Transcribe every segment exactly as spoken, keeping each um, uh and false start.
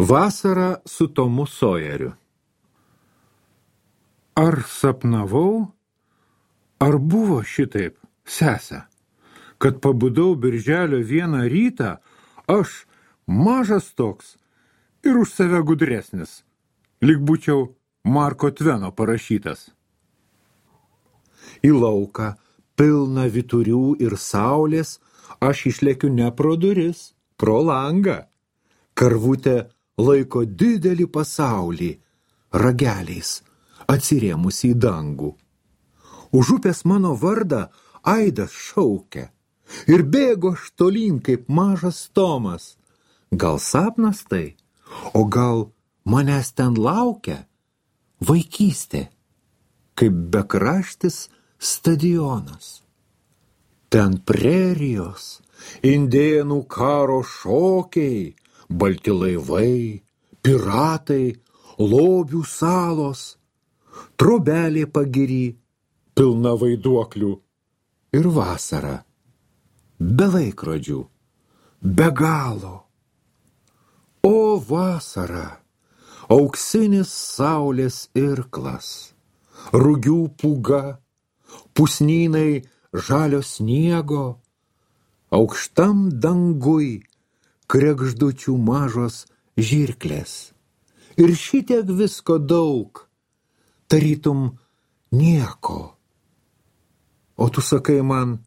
Vasara su Tomu Sojeriu. Ar sapnavau, ar buvo šitaip, sese, kad pabudau birželio vieną rytą, aš mažas toks ir už save gudresnis, lyg būčiau Marko Tveno parašytas. Į lauką, pilną vyturių ir saulės, aš išlekiu ne pro duris, pro langą. Karvutė laiko didelį pasaulį, rageliais atsirėmusi į dangų. Už upės mano vardą aidas šaukia ir bėgo aš tolyn kaip mažas Tomas. Gal sapnas tai, o gal manęs ten laukia vaikystė, kaip bekraštis stadionas. Ten prerijos, indėnų karo šokiai, balti laivai, piratai, lobių salos, trobelė pagiri, pilna vaiduoklių ir vasara, be laikrodžių, be galo. O vasara, auksinis saulės irklas, rugių pūga, pusnynai žalio sniego, aukštam dangui kregždučių mažos žirklės. Ir šitiek visko daug, tarytum nieko. O tu sakai man,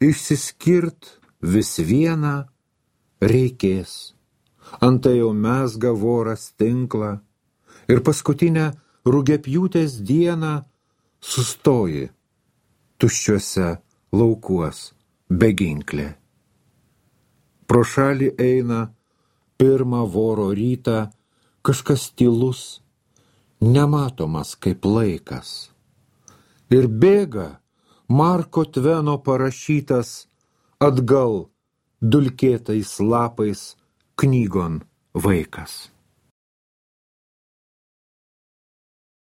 išsiskirt vis vieną reikės. Antai jau mezga voras tinklą ir paskutinę rugiapjūtės dieną sustoji tuščiuose laukuos beginklė. Pro šalį eina pirmą voro rytą kažkas tylus, nematomas kaip laikas. Ir bėga Marko Tveno parašytas atgal dulkėtais lapais knygon vaikas.